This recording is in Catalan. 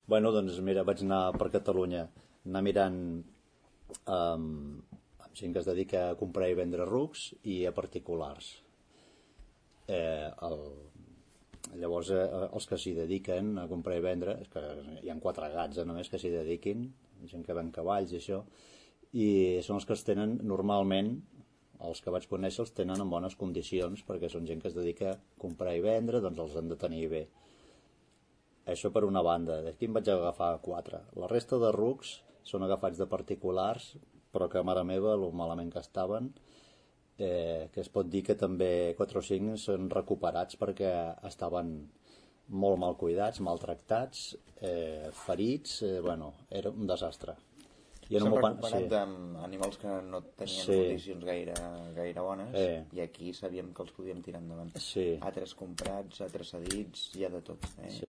Bueno, doncs mira, vaig anar per Catalunya, anar mirant amb gent que es dedica a comprar i vendre rucs i a particulars. Eh, el, Llavors, els que s'hi dediquen a comprar i vendre, és que hi ha 4 gats només que s'hi dediquin, gent que ven cavalls i això, i són els que els tenen normalment, els que vaig conèixer els tenen en bones condicions, perquè són gent que es dedica a comprar i vendre, doncs els han de tenir bé. Això per una banda. D'aquí em vaig agafar 4. La resta de rucs són agafats de particulars, però que, mare meva, lo malament que estaven, que es pot dir que també 4 o 5 són recuperats perquè estaven molt mal cuidats, maltractats, ferits, bueno, era un desastre. S'han recuperat d'animals que no tenien condicions gaire bones, i aquí sabíem que els podíem tirar endavant. Altres comprats, altres cedits, hi ha de tot.